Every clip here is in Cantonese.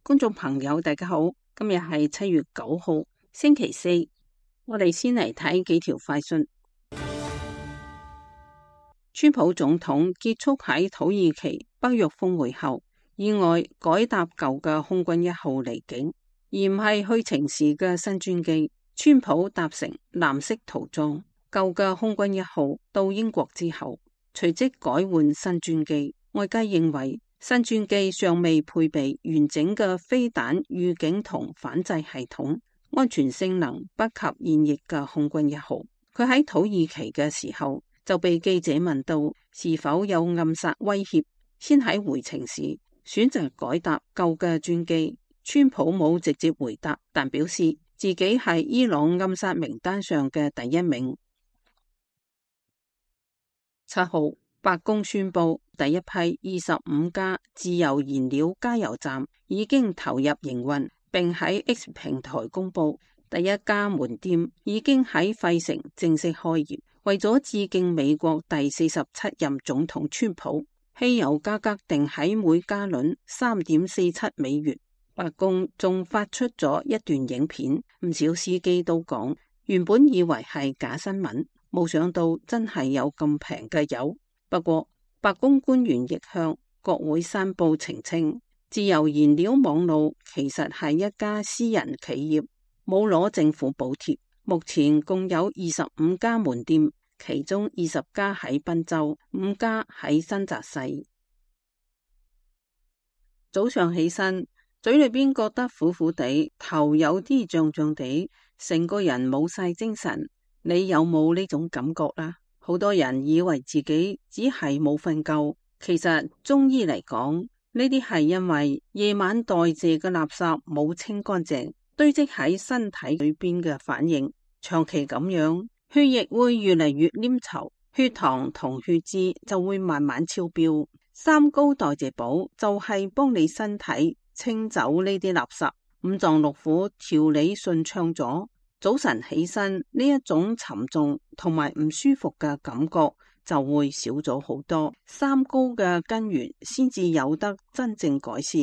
觀眾朋友大家好，今日係7月9號星期四，我哋先嚟睇幾條快訊。川普總統結束喺土耳其北約峰會後，意外改搭舊嘅空軍1號離境，而唔係去程時嘅新專機。川普搭乘藍色塗裝舊嘅空軍1號到英國之後，隨即改換新專機。外界認為新專機尚未配備完整嘅飛彈預警同反制系統，安全性能不及現役嘅空軍1號。佢喺土耳其嘅時候就被記者問到是否有暗殺威脅，先喺回程時選擇改搭舊嘅專機。川普冇直接回答，但表示自己係伊朗暗殺名單上嘅第1名。7號，白宮宣布第一批25家自由燃料加油站已經投入營運，並喺 X 平台公布第一家門店已經喺費城正式開業。為咗致敬美國第47任總統川普，汽油價格定喺每加侖3.47美元。白宮仲發出咗一段影片，唔少司機都講原本以為係假新聞，冇想到真係有咁平嘅油。不過白宮官員亦向國會山報澄清，自由燃料網路其實係一家私人企業，冇攞政府補貼。目前共有25家門店，其中20家喺賓州，5家喺新澤西。早上起身，嘴裏邊覺得苦苦地，頭有啲脹脹地，成個人冇晒精神。你有冇呢種感覺啦？好多人以為自己只係冇瞓夠，其實中醫嚟講，呢啲係因為夜晚代謝嘅垃圾冇清乾淨，堆積喺身體裏邊嘅反應。長期咁樣，血液會越嚟越黏稠，血糖同血脂就會慢慢超標。3高代謝寶就係幫你身體清走呢啲垃圾，五臟六腑調理順暢咗，早晨起身呢一種沉重同埋唔舒服嘅感覺就會少咗好多。3高嘅根源先至有得真正改善。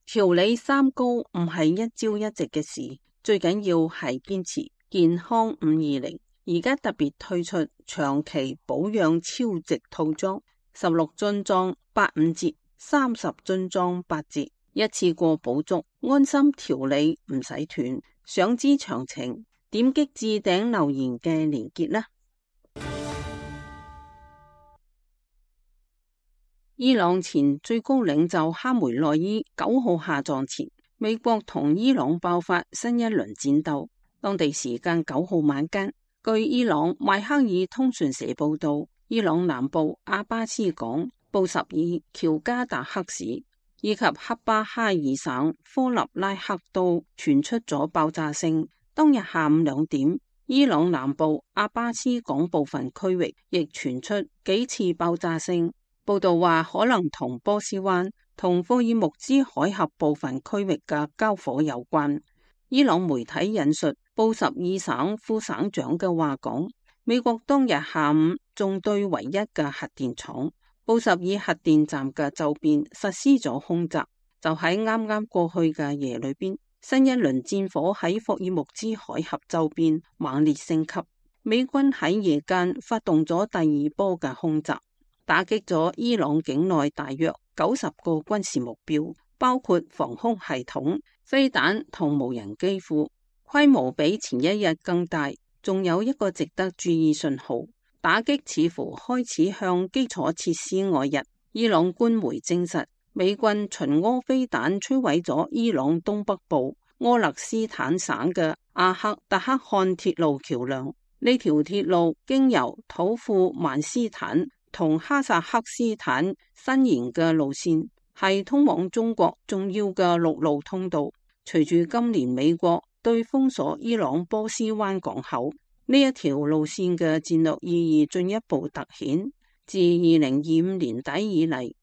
調理3高唔係一朝一夕嘅事，最緊要係堅持。健康520而家特別推出長期保養超值套裝，16樽裝85折，30樽裝8折，一次過補足，安心調理唔使斷。想知詳情，點擊置頂留言嘅連結啦。伊朗前最高領袖哈梅內伊9號下葬前，美國同伊朗爆發新一輪戰鬥。當地時間9號晚間，據伊朗邁克爾通訊社報道，伊朗南部阿巴斯港、布什爾、喬加達克市以及克巴哈爾省科納拉克都傳出咗爆炸聲。當日下午2點，伊朗南部阿巴斯港部分區域亦傳出幾次爆炸聲。報道話可能同波斯灣同霍爾木茲海峽部分區域嘅交火有關。伊朗媒體引述布什爾省副省長嘅話講，美國當日下午仲對唯一嘅核電廠布什爾核電站嘅周邊實施咗空襲。就喺啱啱過去嘅夜裏邊，新一輪戰火喺霍爾木茲海峽周邊猛烈升級。美軍喺夜間發動咗第2波嘅空襲，打擊咗伊朗境內大約90個軍事目標，包括防空系統、飛彈同無人機庫，規模比前一日更大。仲有一個值得注意信號，打擊似乎開始向基礎設施外溢。伊朗官媒證實，美軍巡弋飛彈摧毀咗伊朗東北部柯勒斯坦省嘅阿克特克汗鐵路橋樑。呢條鐵路經由土庫曼斯坦同哈薩克斯坦伸延嘅路線，係通往中國重要嘅陸路通道。隨住今年美國對封鎖伊朗波斯灣港口，呢一條路線嘅戰略意義進一步凸顯。自2025年底以嚟，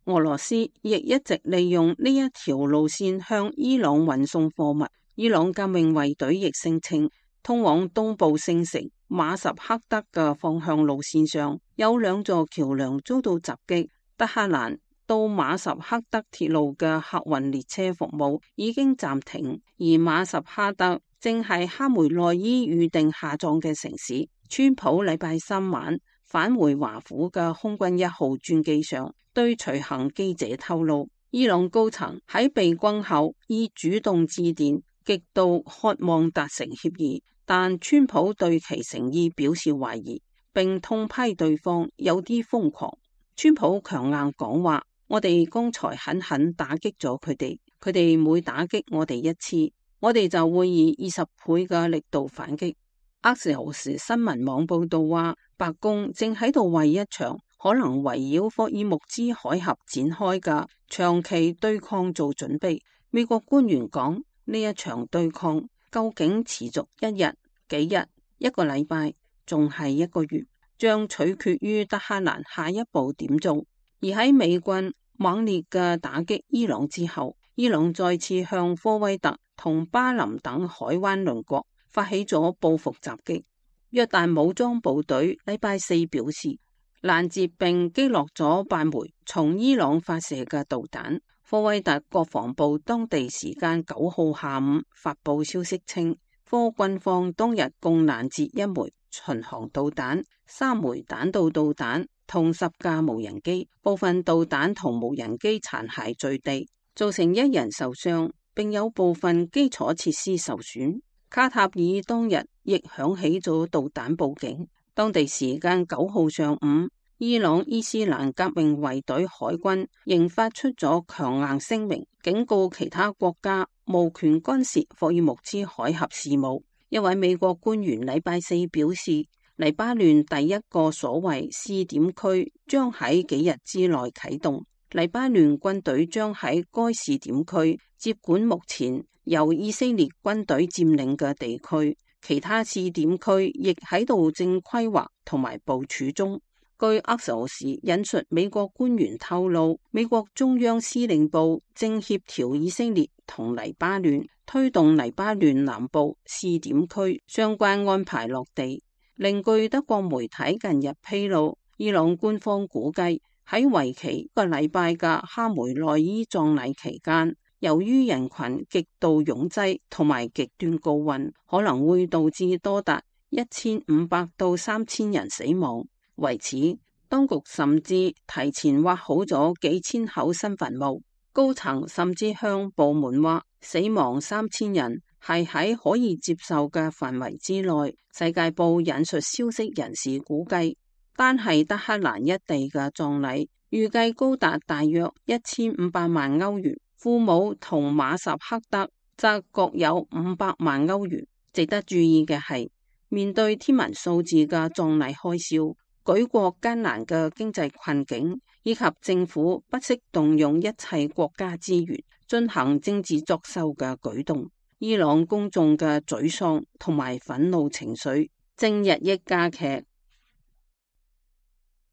俄羅斯亦一直利用呢一條路線向伊朗運送貨物。伊朗革命衛隊亦聲稱，通往東部聖城馬什克德嘅方向路線上有2座橋樑遭到襲擊。德黑蘭、到馬什克德鐵路嘅客運列車服務已經暫停，而馬什克德正係哈梅內伊預定下葬嘅城市。川普禮拜三晚返回華府嘅空軍1號專機上，對隨行記者透露，伊朗高層喺被轟後已主動致電，極度渴望達成協議，但川普對其誠意表示懷疑，並痛批對方有啲瘋狂。川普強硬講話，我哋剛才狠狠打擊咗佢哋，佢哋每打擊我哋一次，我哋就會以20倍嘅力度反擊。阿什斯新聞網報道話，白宮正喺度為一場可能圍繞霍爾木茲海峽展開嘅長期對抗做準備。美國官員講，呢一場對抗究竟持續1日、幾日、1個禮拜，仲係1個月，將取決於德黑蘭下一步點做。而喺美軍猛烈嘅打擊伊朗之後，伊朗再次向科威特同巴林等海灣鄰國發起咗報復襲擊。約旦武裝部隊禮拜四表示，攔截並擊落咗8枚從伊朗發射嘅導彈。科威特國防部當地時間9號下午發布消息稱，科軍方當日共攔截1枚巡航導彈、3枚彈道導彈同10架無人機，部分導彈同無人機殘骸墜地，造成1人受傷，並有部分基礎設施受損。卡塔爾當日亦響起咗導彈報警。當地時間9號上午，伊朗伊斯蘭革命衛隊海軍仍發出咗強硬聲明，警告其他國家無權干涉霍爾木茲海峽事務。一位美國官員禮拜四表示，黎巴嫩第一個所謂試點區將喺幾日之內啟動，黎巴嫩軍隊將喺該試點區接管目前由以色列軍隊佔領嘅地區，其他試點區亦喺度正規劃同埋部署中。據阿索士引述美國官員透露，美國中央司令部正協調以色列同黎巴嫩推動黎巴嫩南部試點區相關安排落地。另據德國媒體近日披露，伊朗官方估計喺為期1個禮拜嘅哈梅內伊葬禮期間，由於人群極度擁擠同埋極端高溫，可能會導致多達1500到3000人死亡。為此，當局甚至提前挖好咗幾千口新墳墓，高層甚至向部門話，死亡3000人係喺可以接受嘅範圍之內。世界報引述消息人士估計，單係德黑蘭一地嘅葬禮預計高達大約1500萬歐元，庫姆同馬什克德則各有500萬歐元。值得注意嘅係，面對天文數字嘅葬禮開銷，舉國艱難嘅經濟困境，以及政府不惜動用一切國家資源進行政治作秀嘅舉動，伊朗公眾嘅沮喪同埋憤怒情緒正日益加劇。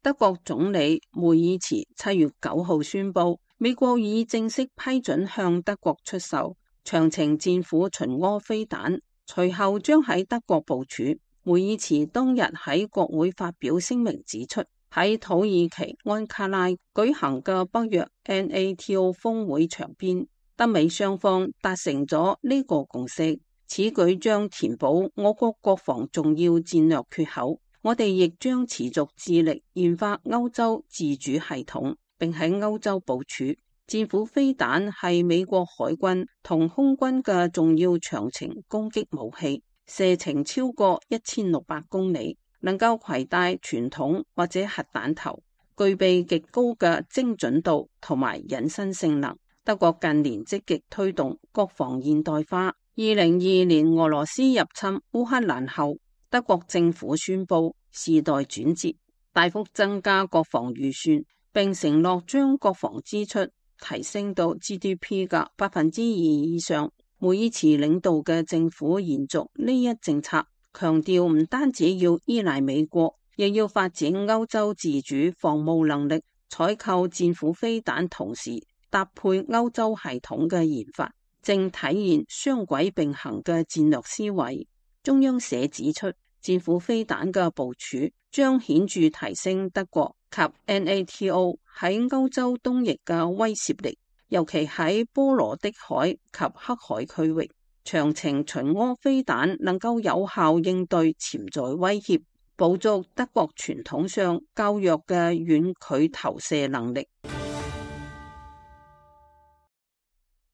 德國總理梅爾茨7月9號宣布，美國已正式批准向德國出售長程戰斧巡弢飛彈，隨後將喺德國部署。梅爾茨當日喺國會發表聲明指出，喺土耳其安卡拉舉行嘅北約 NATO 峰會場邊，德美雙方達成咗呢個共識，此舉將填補我國國防重要戰略缺口。我哋亦將持續致力研發歐洲自主系統，並喺歐洲部署。戰斧飛彈係美國海軍同空軍嘅重要長程攻擊武器，射程超過1600公里，能夠攜帶傳統或者核彈頭，具備極高嘅精準度同埋隱身性能。德國近年積極推動國防現代化。2022年俄羅斯入侵烏克蘭後，德國政府宣布時代轉折，大幅增加國防預算，並承諾將國防支出提升到 GDP 嘅2% 以上。梅爾茨領導嘅政府延續呢一政策，強調唔單止要依賴美國，亦要發展歐洲自主防務能力，採購戰斧飛彈，同時搭配歐洲系統嘅研發，正體現雙軌並行嘅戰略思維。中央社指出，戰斧飛彈嘅部署將顯著提升德國及 NATO 喺歐洲東翼嘅威懾力，尤其喺波羅的海及黑海區域，長程巡弋飛彈能夠有效應對潛在威脅，補足德國傳統上較弱嘅遠距投射能力。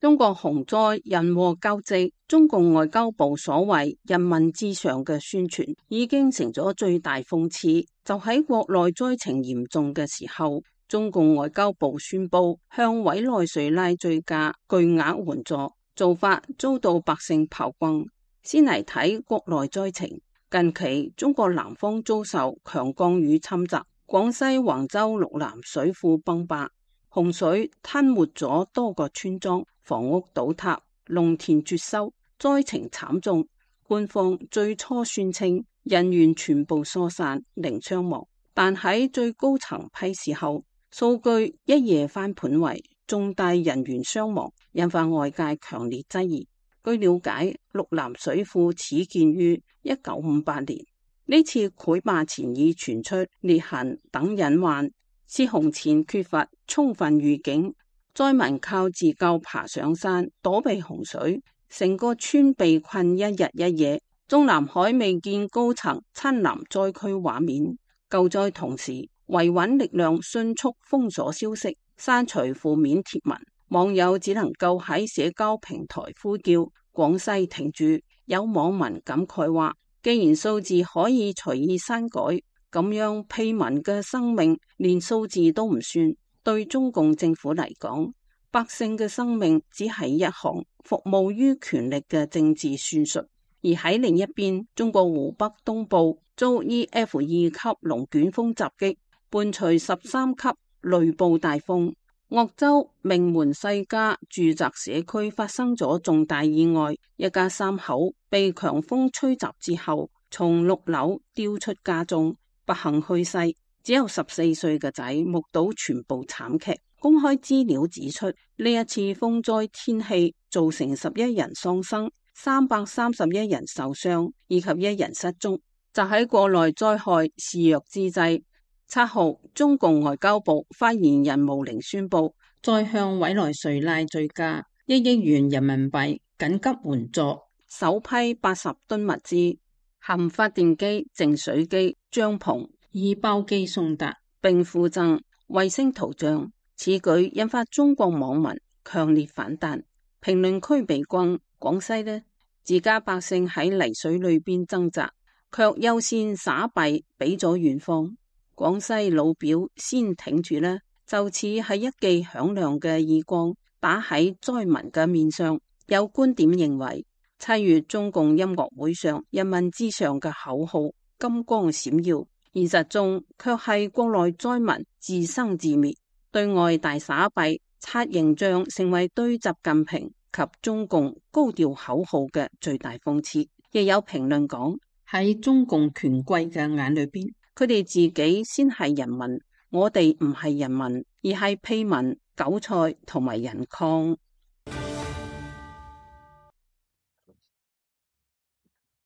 中國洪災人禍交織，中共外交部所謂人民至上嘅宣傳已經成咗最大諷刺。就喺國內災情嚴重嘅時候，中共外交部宣布向委內瑞拉追加巨額援助，做法遭到百姓炮轟。先嚟睇國內災情，近期中國南方遭受強降雨侵襲，廣西橫州陸南水庫崩壩，洪水吞沒咗多個村莊，房屋倒塌，農田絕收，災情慘重。官方最初宣稱人員全部疏散，零傷亡，但喺最高層批示後，數據一夜翻盤為重大人員傷亡，引發外界強烈質疑。據了解，陸南水庫始建於1958年，呢次潰壩前已傳出裂痕等隱患，泄洪前缺乏充分預警，災民靠自救爬上山躲避洪水，成個村被困一日一夜。中南海未見高層親臨災區畫面。救災同時，維穩力量迅速封鎖消息，刪除負面貼文，網友只能夠喺社交平台呼叫廣西停住。有網民感慨話，既然數字可以隨意刪改，咁樣屁民嘅生命連數字都唔算，對中共政府嚟講，百姓嘅生命只係一項服務於權力嘅政治算術。而喺另一邊，中國湖北東部遭 EF2 級龍捲風襲擊，伴隨13級雷暴大風。鄂州名門世家住宅社區發生咗重大意外，一家三口被強風吹襲之後，從6樓掉出家中，不幸去世。只有14歲嘅仔目睹全部慘劇。公開資料指出，呢一次風災天氣造成11人喪生，331人受傷，以及1人失蹤。就喺國內災害肆虐之際，7號中共外交部發言人毛寧宣布，再向委內瑞拉追加1億元人民幣緊急援助，首批80噸物資，含發電機、淨水機、帳篷、衣包機送達，並附贈衛星圖像。此舉引發中國網民強烈反彈，評論區被轟。廣西呢，自家百姓喺泥水裏邊掙扎，卻優先撒幣俾咗遠方。廣西老表先挺住呢，就似係一記響亮嘅耳光打喺災民嘅面上。有觀點認為，7月中共音樂會上人民至上嘅口號金光閃耀，現實中卻係國內災民自生自滅。對外大撒幣，刷形象成為對習近平及中共高調口號嘅最大諷刺。亦有評論講，喺中共權貴嘅眼裏邊，佢哋自己先係人民，我哋唔係人民，而係屁民、韭菜同埋人礦。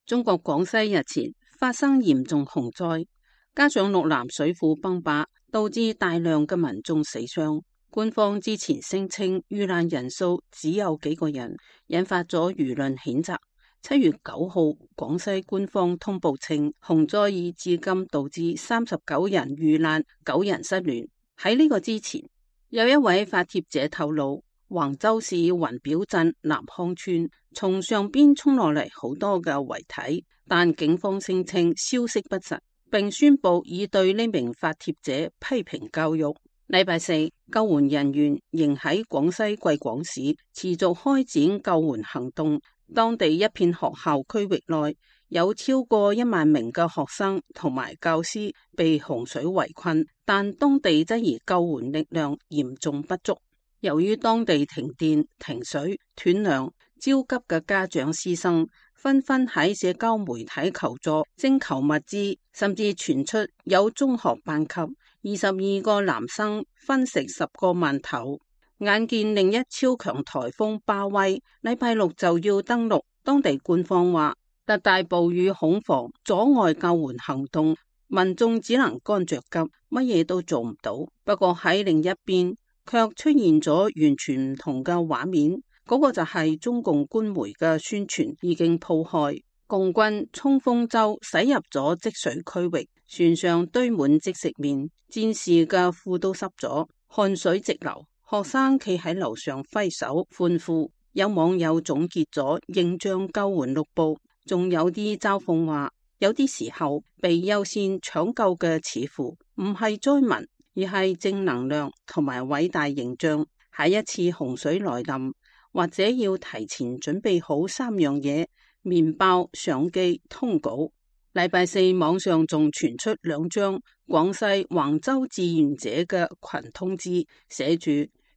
中國廣西日前發生嚴重洪災，加上陸南水庫崩壩，導致大量嘅民眾死傷。官方之前聲稱遇難人數只有幾個人，引發咗輿論譴責。7月9號，廣西官方通報稱，洪災已至今導致39人遇難，9人失聯。喺呢個之前，有一位發帖者透露，橫州市雲表鎮南康村從上邊沖落嚟好多嘅遺體，但警方聲稱消息不實，並宣布已對呢名發帖者批評教育。禮拜四，救援人員仍喺廣西貴廣市持續開展救援行動。當地一片學校區域內有超過1萬名嘅學生同埋教師被洪水圍困，但當地質疑救援力量嚴重不足。由於當地停電、停水、斷糧，焦急嘅家長師生紛紛喺社交媒體求助徵求物資，甚至傳出有中學班級22個男生分食10個饅頭。眼見另一超強颱風巴威禮拜六就要登陸，當地官方話特大暴雨恐防阻礙救援行動，民眾只能乾着急，乜嘢都做唔到。不過喺另一邊，卻出現咗完全唔同嘅畫面，嗰個就係中共官媒嘅宣傳已經鋪開，共軍衝鋒舟駛入咗積水區域，船上堆滿即食麵，戰士嘅褲都濕咗，汗水直流，學生企喺樓上揮手歡呼。有網友總結咗形象救援六步，仲有啲嘲諷話，有啲時候被優先搶救嘅似乎唔係災民，而係正能量同埋偉大形象。下一次洪水來臨，或者要提前準備好3樣嘢：麵包、相機、通稿。禮拜四網上仲傳出2張廣西橫州志願者嘅群通知，寫住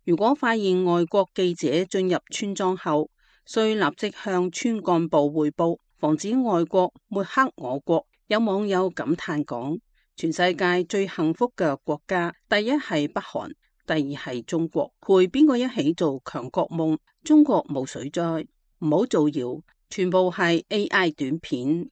如果發現外國記者進入村莊後，需立即向村幹部匯報，防止外國抹黑我國。有網友感嘆講，全世界最幸福嘅國家，第一係北韓，第二係中國，陪邊個一起做強國夢？中國冇水災，唔好造謠，全部係 AI 短片。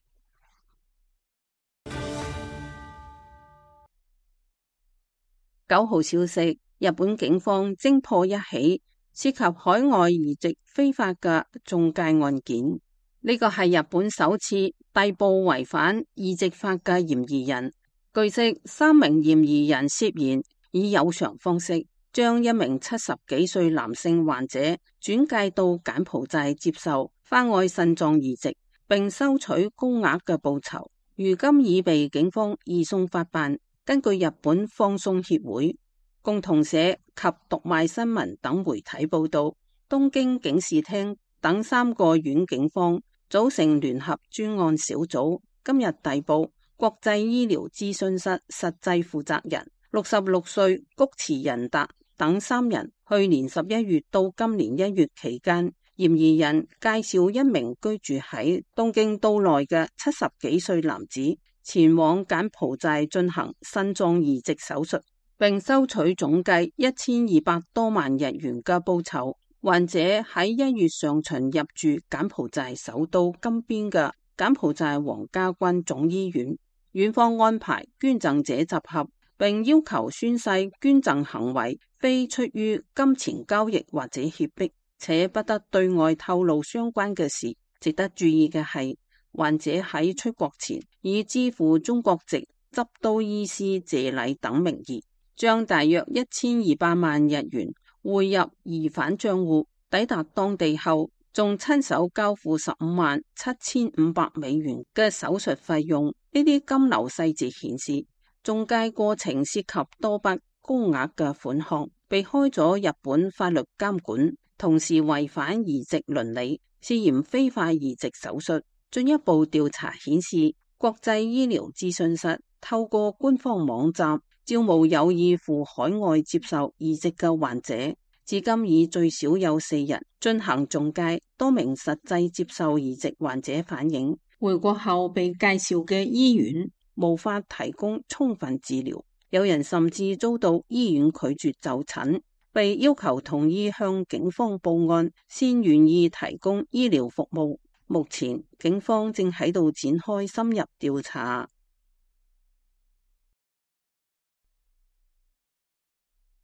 9號消息，日本警方偵破一起涉及海外移植非法嘅中介案件。呢個係日本首次逮捕違反移植法嘅嫌疑人。據悉，3名嫌疑人涉嫌以有償方式將一名70幾歲男性患者轉介到柬埔寨接受花愛腎臟移植，並收取高額嘅報酬，如今已被警方移送法辦。根據日本放送協會、共同社及讀賣新聞等媒體報道，東京警視廳等3個縣警方組成聯合專案小組，今日逮捕國際醫療諮詢室實際負責人66歲菊池仁達等3人。去年11月到今年1月期間，嫌疑人介紹一名居住喺東京都內嘅70幾歲男子前往柬埔寨進行腎臟移植手術，並收取總計1200多萬日元嘅報酬。患者喺1月上旬入住柬埔寨首都金邊嘅柬埔寨皇家軍總醫院，院方安排捐贈者集合，並要求宣誓捐贈行為非出於金錢交易或者脅迫，且不得對外透露相關嘅事。值得注意嘅係，患者喺出國前以支付中國籍執刀醫師謝禮等名義，將大約1200萬日元匯入疑犯賬戶。抵達當地後，仲親手交付157500美元嘅手術費用。呢啲金流細節顯示，中介過程涉及多筆高額嘅款項，避開咗日本法律監管，同時違反移植倫理，涉嫌非法移植手術。進一步調查顯示，國際醫療諮詢室透過官方網站招募有意赴海外接受移植嘅患者，至今已最少有4人進行中介。多名實際接受移植患者反映，回國後被介紹嘅醫院無法提供充分治療，有人甚至遭到醫院拒絕就診，被要求同意向警方報案先願意提供醫療服務。目前警方正喺度展開深入調查。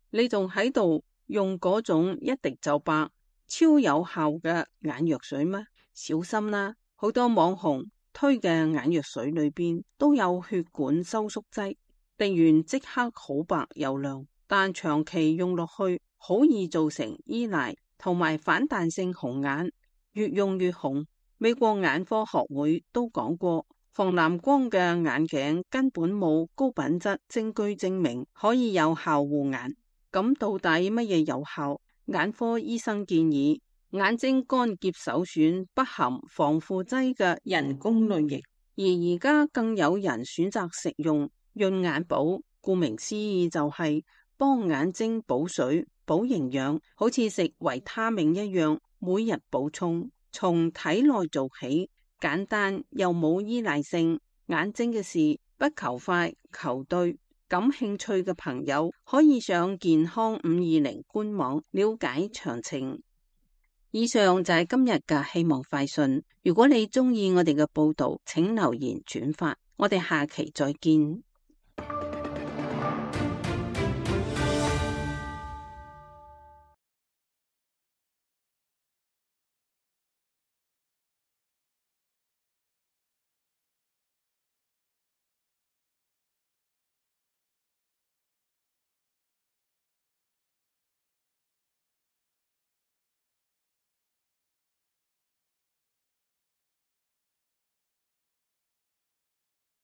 你仲喺度用嗰種一滴就白、超有效嘅眼藥水嗎？小心啦！好多網紅推嘅眼藥水裏邊都有血管收縮劑，滴完即刻好白又亮，但長期用落去好易造成依賴同埋反彈性紅眼，越用越紅。美國眼科學會都講過，防藍光嘅眼鏡根本冇高品質證據證明可以有效護眼。咁到底乜嘢有效？眼科醫生建議眼睛乾澀首選不含防腐劑嘅人工淚液，而而家更有人選擇食用潤眼寶，顧名思義就係幫眼睛補水補營養，好似食維他命一樣，每日補充。從體內做起，簡單又冇依賴性，眼睛嘅事不求快求對。感興趣嘅朋友可以上健康520官網了解詳情。以上就係今日嘅希望快訊。如果你鍾意我哋嘅報道，請留言轉發。我哋下期再見。